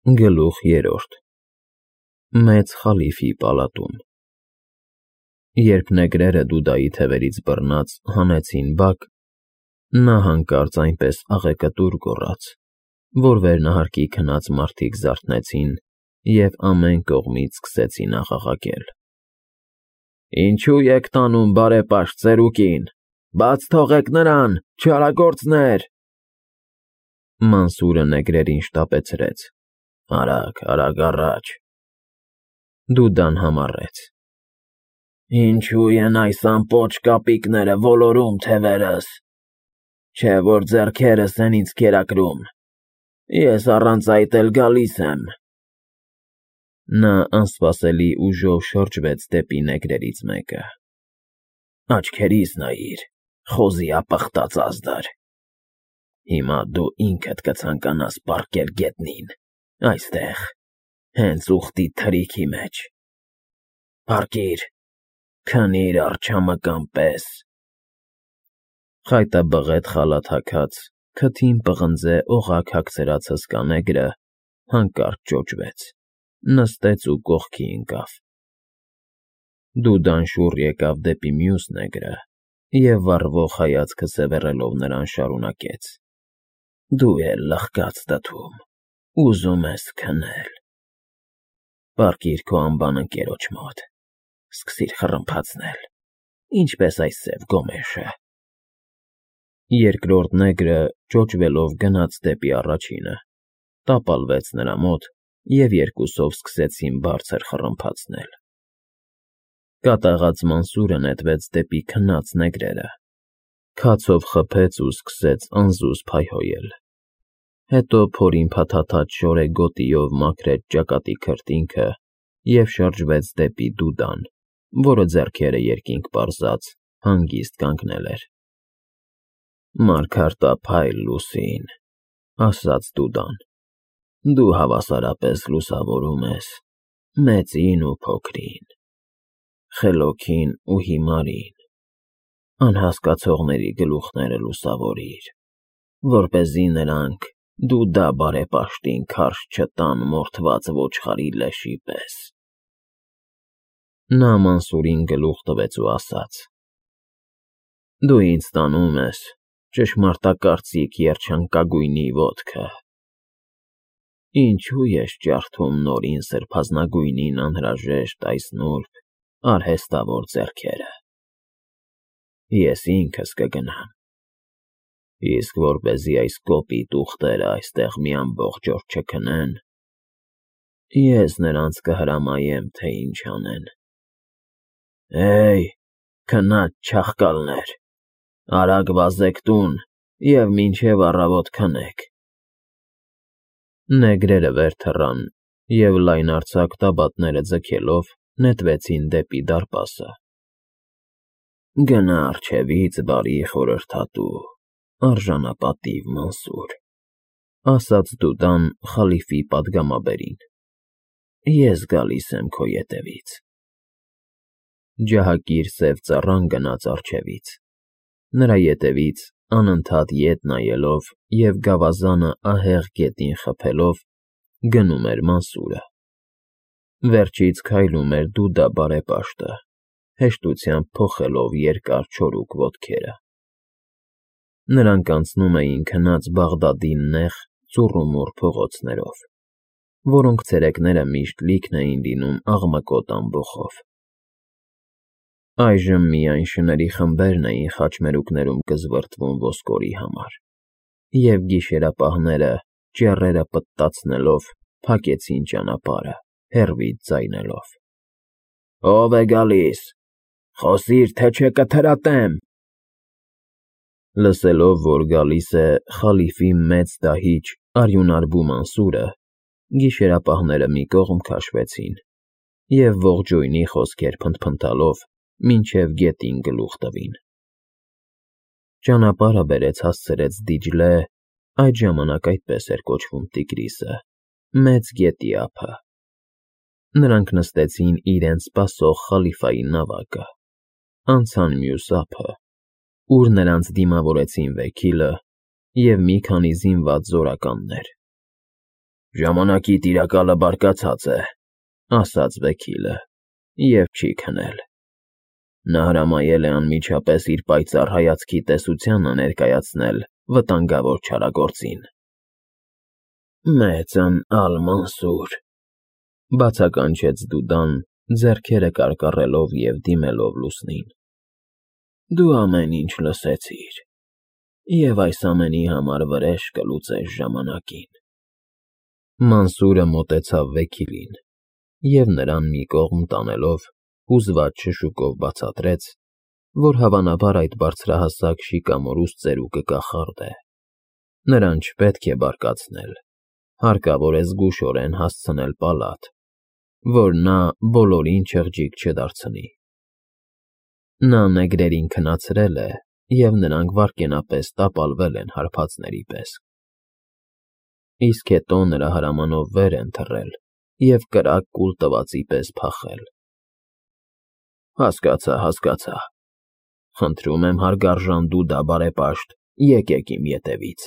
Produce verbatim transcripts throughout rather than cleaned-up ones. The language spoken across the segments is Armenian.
Գլուխ երրորդ Մեծ խալիֆի պալատում Երբ նեգրերը Դուդայի թևերից բռնած հանեցին բակ, նա հանկարծ այնպես աղեկտուր գոռաց, որ վերնահարկի քնած մարդիկ զարթնեցին և ամեն կողմից սկսեցին աղաղակել. Ինչո՞ւ եք տանում բարեպաշտ ծերուկին, բաց թողեք նրան, չարագործներ… Մանսուրը նեգրերին շտապեցրեց. Արագ, արագ առաջ… Դուդան համառեց. Ինչո՞ւ են այս ամպոչ կապիկները ոլորում թևերս, չէ որ ձեռքերս են ինձ կերակրում, ես առանց այդ էլ գալիս եմ… Նա անսպասելի ուժով շրջվեց դեպի նեգրերից մեկը. Աչքերիս նայիր, խոզի ապխտած ազդար… Հիմա դու ինքդ կցանկանաս պառկել գետնին, այստեղ, հենց ուղտի թրիքի մեջ… Պառկիր, քնիր արջամկան պես… Խայտաբղետ խալաթ հագած, քթին պղնձե օղակ հագցրած հսկա նեգրը հանկարծ ճոճվեց, նստեց ու կողքի ընկավ… Դուդան շուռ եկավ դեպի մյուս նեգրը և վառվող հայացքը սևեռելով նրան շարունակեց. Դու էլ լխկած դդում, ուզում ես քնել… Պառկիր քո անբան ընկերոջ մոտ, սկսիր խռմփացնել, ինչպես այս սև գոմեշը… Երկրորդ նեգրը ճոճվելով գնաց դեպի առաջինը, տապալվեց նրա մոտ և երկուսով սկսեցին բարձր խռմփացնել… Կատաղած Մանսուրը նետվեց դեպի քնած նեգրերը, քացով խփեց ու սկսեց անզուզ փայհոյել… Հետո փորին փաթաթած շորեգոտիով մաքրեց ճակատի քրտինքը և շրջվեց դեպի Դուդան, որը ձեռքերը երկինք պարզած հանգիստ կանգնել էր… Մարգարտափայլ լուսին, ասաց Դուդան, դու հավասարապես լուսավորում ես մեծին ու փոքրին, խելոքին ու հիմարին, անհասկացողների գլուխները լուսավորիր, որպեսզի նրանք Դուդա բարեպաշտին քարշ չտան մորթված ոչխարի լեշի պես… Նա Մանսուրին գլուխ տվեց ու ասաց. Դու ինձ տանում ես ճշմարտակարծիք երջանկագույնի ոտքը… Ինչո՞ւ ես ջարդում նորին սրբազնագույնին անհրաժեշտ այս նուրբ, արհեստավոր ձեռքերը… Ես ինքս կգնամ, իսկ որպեսզի այս կոպիտ ուղտերը այստեղ մի ամբողջ օր չքնեն, ես նրանց կհրամայեմ, թե ինչ անեն… Հեյ, քնած չախկալներ, արագ վազեք տուն և մինչև առավոտ քնեք… Նեգրերը վեր թռան և լայնարձակ տաբատները ձգելով նետվեցին դեպի դարպասը… Գնա առջևից, բարի խորհրդատու, արժանապատիվ Մանսուր, ասաց Դուդան խալիֆի պատգամաբերին, ես գալիս եմ քո ետևից… Ջահակիր սև ծառան գնաց առջևից, նրա ետևից անընդհատ ետ նայելով և գավազանը ահեղ գետին խփելով, գնում էր Մանսուրը… Վերջից քայլում էր Դուդա բարեպաշտը, հեշտությամբ փոխելով երկար չորուկ ոտքերը… Նրանք անցնում էին քնած Բաղդադի նեղ, ծուռումուռ փողոցներով, որոնք ցերեկները միշտ լիքն էին լինում աղմկոտ ամբոխով… Այժմ միայն շների խմբերն էին խաչմերուկներում կզվրտվում ոսկորի համար, և գիշերապահները, ճեռերը պտտացնելով, փակեցին ճանապարհը, հեռվից ձայնելով. Ո՞վ է գալիս… Խոսիր, թե չէ կթրատեմ… Լսելով, որ գալիս է խալիֆի մեծ դահիճ արյունարբու Մանսուրը, գիշերապահները մի կողմ քաշվեցին և ողջույնի խոսքեր փնթփնթալով մինչև գետին գլուխ տվին… Ճանապարհը բերեց հասցրեց Դիջլե (այդ ժամանակ այդպես էր կոչվում Տիգրիսը) մեծ գետի ափը… Նրանք նստեցին իրենց սպասող խալիֆայի նավակը, անցան մյուս ափը, ուր նրանց դիմավորեցին վեքիլը և մի քանի զինված զորականներ… Ժամանակի տիրակալը բարկացած է, ասաց Վեքիլը, և չի քնել։ Նա հրամայել է անմիջապես իր պայծառ հայացքի տեսությանը ներկայացնել վտանգավոր չարագործին։ Մեծն Ալ-Մանսուր, բացականչեց Դուդան, ձեռքերը կարկառելով և դիմելով լուսնին։ Դու ամեն ինչ լսեցիր, և այս ամենի համար վրեժ կլուծես ժամանակին։ Մանսուրը մոտեցավ Վեքիլին և նրան մի կողմ տանելով հուզված շշուկով բացատրեց, որ հավանաբար այդ բարձրահասակ շիկամորուս ծերուկը կախարդ է, նրան չպետք է բարկացնել, հարկավոր է զգուշորեն հասցնել պալատ, որ նա բոլորին չղջիկ չդարձնի։ Նա նեգրերին քնացրել է, և նրանք վայրկենապես տապալվել են հարբածների պես, իսկ հետո նրա հրամանով վեր են թռել և կրակ կուլ տվածի պես փախել։ Հասկացա, հասկացա, խնդրում եմ հարգարժան Դուդա բարեպաշտ, եկեք իմ ետևից,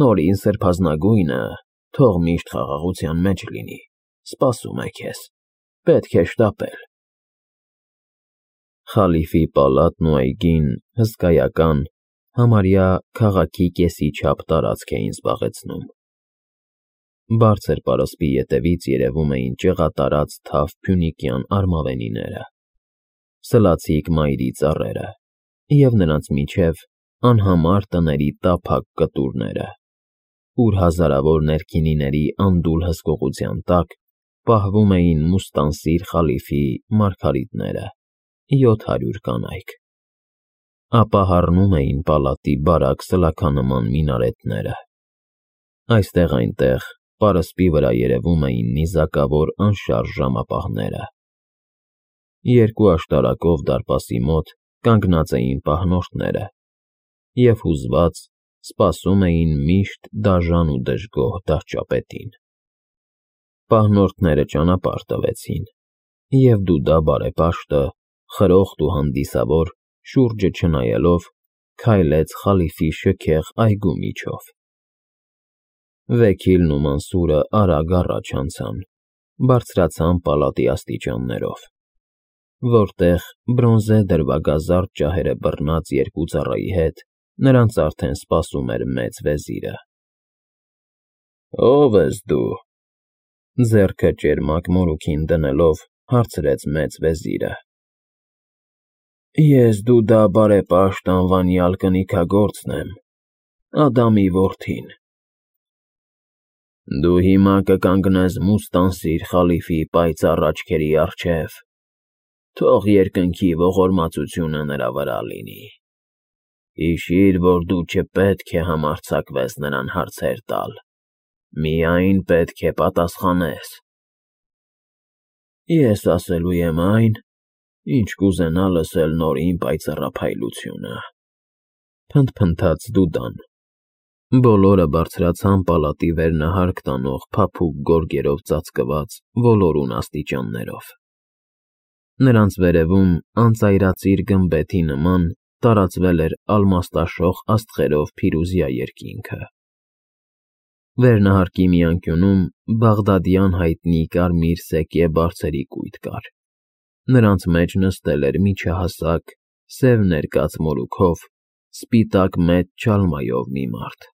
նորին սրբազնագույնը թող միշտ խաղաղության մեջ լինի, սպասում է քեզ, պետք է շտապել։ Խալիֆի պալատն ու այգին հսկայական, համարյա քաղաքի կեսի չափ տարածք էին զբաղեցնում։ Բարձր պարսպի ետևից երևում էին ճեղատարած թավ փյունիկյան արմավենիները, սլացիկ մայրի ծառերը և նրանց միջև անհամար տների տափակ կտուրները, ուր հազարավոր ներքինիների անդուլ հսկողության տակ պահվում էին Մուստանսիր խալիֆի մարգարիտները, յոթ հարյուր կանայք, ապա հառնում էին պալատի բարակ սլաքանման մինարետները։ Այստեղ-այնտեղ պարսպի վրա երևում էին նիզակավոր անշարժ ժամապահները։ Երկու աշտարակով դարպասի մոտ կանգնած էին պահնորդները և հուզված սպասում էին միշտ դաժան ու դժգոհ դահճապետին։ Պահնորդները ճանապարհ տվեցին, և Դուդա բարեպաշտը, խրոխտ ու հանդիսավոր, շուրջը չնայելով, քայլեց խալիֆի շքեղ այգու միջով։ Վեքիլն ու Մանսուրը արագ առաջ անցան, բարձրացան պալատի աստիճաններով, որտեղ բրոնզե դրվագազարդ ջահերը բռնած երկու ծառայի հետ նրանց արդեն սպասում էր մեծ վեզիրը։ Ո՞վ ես դու,֊ ձեռքը ճերմակ մորուքին դնելով, հարցրեց մեծ վեզիրը։ Ես Դուդա բարեպաշտ անվանյալ կնիքագործն եմ, Ադամի որդին։ Դու հիմա կկանգնես Մուստանսիր խալիֆի պայծառ աչքերի առջև, թող երկնքի ողորմածությունը նրա վրա լինի։ Հիշիր, որ դու չպետք է համարձակվես նրան հարցեր տալ, միայն պետք է պատասխանես։ Ես ասելու եմ այն, ինչ կուզենա լսել նոր իմ պայծառափայլությունը,֊ փնթփնթաց Դուդան։ Բոլորը բարձրացան պալատի վերնահարկ տանող փափուկ գորգերով ծածկված ոլորուն աստիճաններով։ Նրանց վերևում անծայրածիր գմբեթի նման տարածվել էր ալմաստաշող աստղերով փիրուզյա երկինքը։ Վերնահարկի մի անկյունում բաղդադյան հայտնի կարմիր սեկե բարձերի կույտ կար, նրանց մեջ նստել էր միջահասակ, սև ներկած մորուքով, սպիտակ մեծ չալմայով մի մարդ։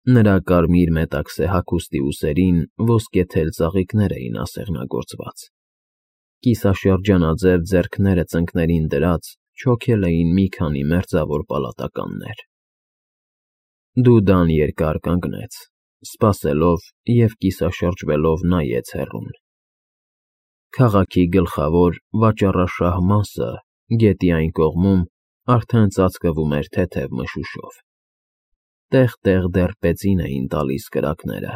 Նրա կարմիր մետաքսե հագուստի ուսերին ոսկեթել ծաղիկներ էին ասեղնագործված, կիսաշրջանաձև ձեռքները ծնկներին դրած չոքել էին մի քանի մերձավոր պալատականներ։ Դուդան երկար կանգնեց, սպասելով և կիսաշրջվելով նայեց հեռուն։ Քաղաքի գլխավոր վաճառաշահ մասը գետի այն կողմում արդեն ծածկվում էր թեթև մշուշով, տեղ֊տեղ դեռ պեցին էին տալիս կրակները։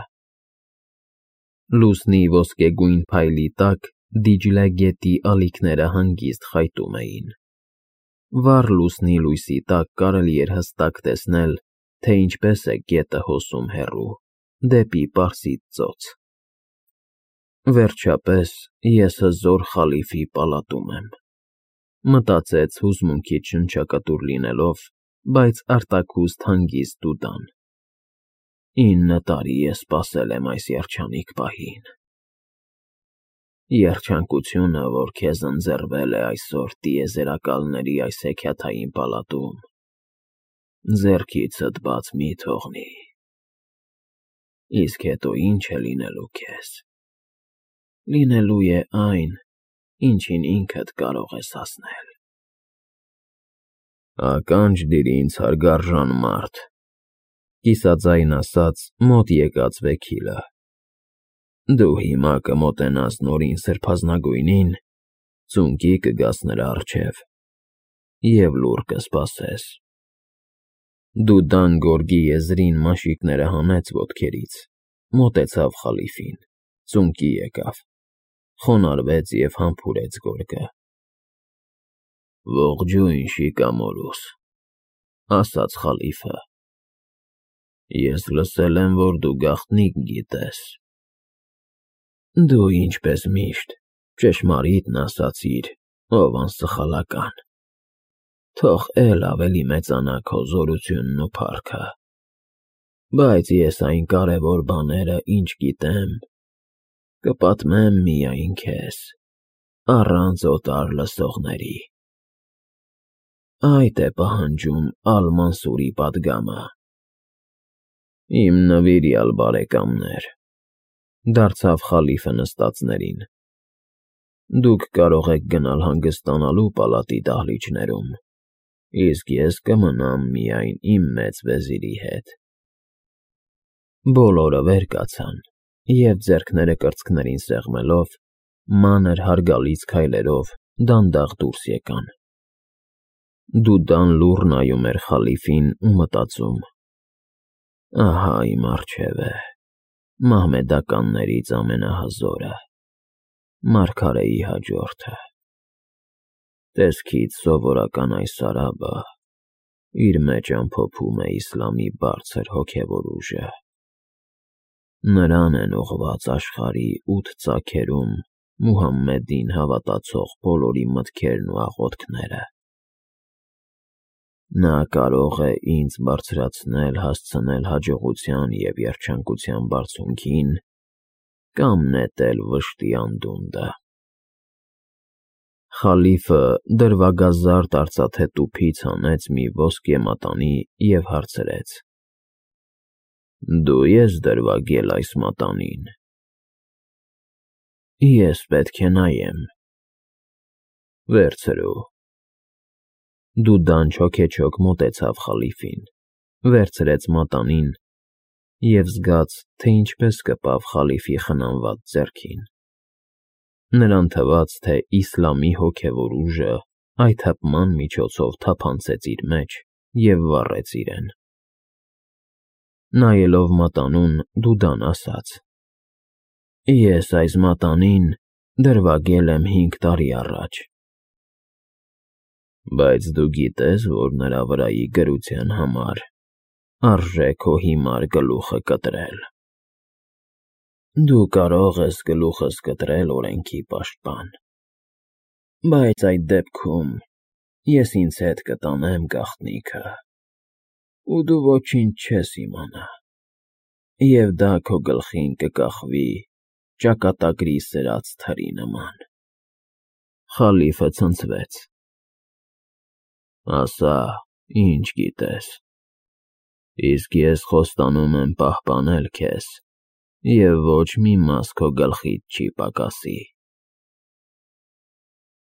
Լուսնի ոսկեգույն փայլի տակ Դիջլե գետի ալիքները հանգիստ խայտում էին։ Վառ լուսնի լույսի տակ կարելի էր հստակ տեսնել, թե ինչպես է գետը հոսում հեռու, դեպի Պարսից ծոց։ Վերջապես ես հզոր խալիֆի պալատում եմ, մտածեց հուզմունքից շնչակտուր լինելով, բայց արտաքուստ հանգիստ Դուդան։ ինը տարի ես սպասել եմ այս երջանիկ պահին։ Երջանկությունը, որ քեզ ընձեռվել է այսօր տիեզերակալների այս հեքիաթային պալատում, ձեռքիցդ բաց մի թողնի։ Իսկ հետո ինչ է լինելու քեզ։ Լինելու է այն, ինչին ինքդ կարող ես հասնել։ Ականջ դիր ինձ, հարգարժան մարդ, կիսաձայն ասաց մոտ եկած վեքիլը։ Դու հիմա կմոտենաս Նորին Սրբազնագույնին, ծունկի կգաս նրա առջև և լուռ կսպասես։ Դուդան գորգի եզրին մաշիկները հանեց ոտքերից, մոտեցավ խալիֆին, ծունկի եկավ, խոնարհվեց և համբուրեց գորգը։ Ողջույն, շիկամորուս, ասաց խալիֆը։ Ես լսել եմ, որ դու գաղտնիք գիտես։ Դու ինչպես միշտ ճշմարիտն ասացիր, ով անսխալական։ Թող էլ ավելի մեծանա քո զորությունն ու փառքը, բայց ես այն կարևոր բաները, ինչ գիտեմ, կպատմեմ միայն քեզ, առանց օտար լսողների։ Այդ է պահանջում Ալ֊Մանսուրի պատգամը։ Իմ նվիրյալ բարեկամներ, դարձավ խալիֆը նստածներին, դուք կարող եք գնալ հանգստանալու պալատի դահլիճներում, իսկ ես կմնամ միայն իմ մեծ վեզիրի հետ։ Բոլորը վեր կացան և ձեռքները կրծքներին սեղմելով, մանր հարգալից քայլերով դանդաղ դուրս եկան։ Դուդան լուռ նայում էր խալիֆին ու մտածում. ահա իմ առջև է մահմեդականներից ամենահզորը, մարգարեի հաջորդը։ Տեսքից սովորական այս արաբը իր մեջ ամփոփում է իսլամի բարձր հոգևոր ուժը։ Նրան են ուղղված աշխարհի ութ ծագերում Մուհամմեդին հավատացող բոլորի մտքերն ու աղոթքները։ Նա կարող է ինձ բարձրացնել հասցնել հաջողության և երջանկության բարձունքին կամ նետել վշտի անդունդը։ Խալիֆը դրվագազարդ արծաթե տուփից հանեց մի ոսկե մատանի և հարցրեց. Դու ես դրվագել այս մատանին։ Ես պետք է նայեմ։ Վերցրու։ Դուդան չոքեչոք մոտեցավ խալիֆին, վերցրեց մատանին և զգաց, թե ինչպես կպավ խալիֆի խնամված ձեռքին։ Նրան թվաց, թե իսլամի հոգևոր ուժը այդ հպման միջոցով թափանցեց իր մեջ և վառեց իրեն։ Նայելով մատանուն, Դուդան ասաց. Ես այս մատանին դրվագել եմ հինգ տարի առաջ։ Բայց դու գիտես, որ նրա վրայի գրության համար արժե քո հիմար գլուխը կտրել։ Դու կարող ես գլուխս կտրել օրենքի պաշտպան, բայց այդ դեպքում ես ինձ հետ կտանեմ գաղտնիքը, ու դու ոչինչ չես իմանա, և դա քո գլխին կկախվի ճակատագրի սրած թրի նման։ Խալիֆը ցնցվեց։ Ասա, ինչ գիտես, իսկ ես խոստանում եմ պահպանել քեզ, և ոչ մի մաս քո գլխիդ չի պակասի։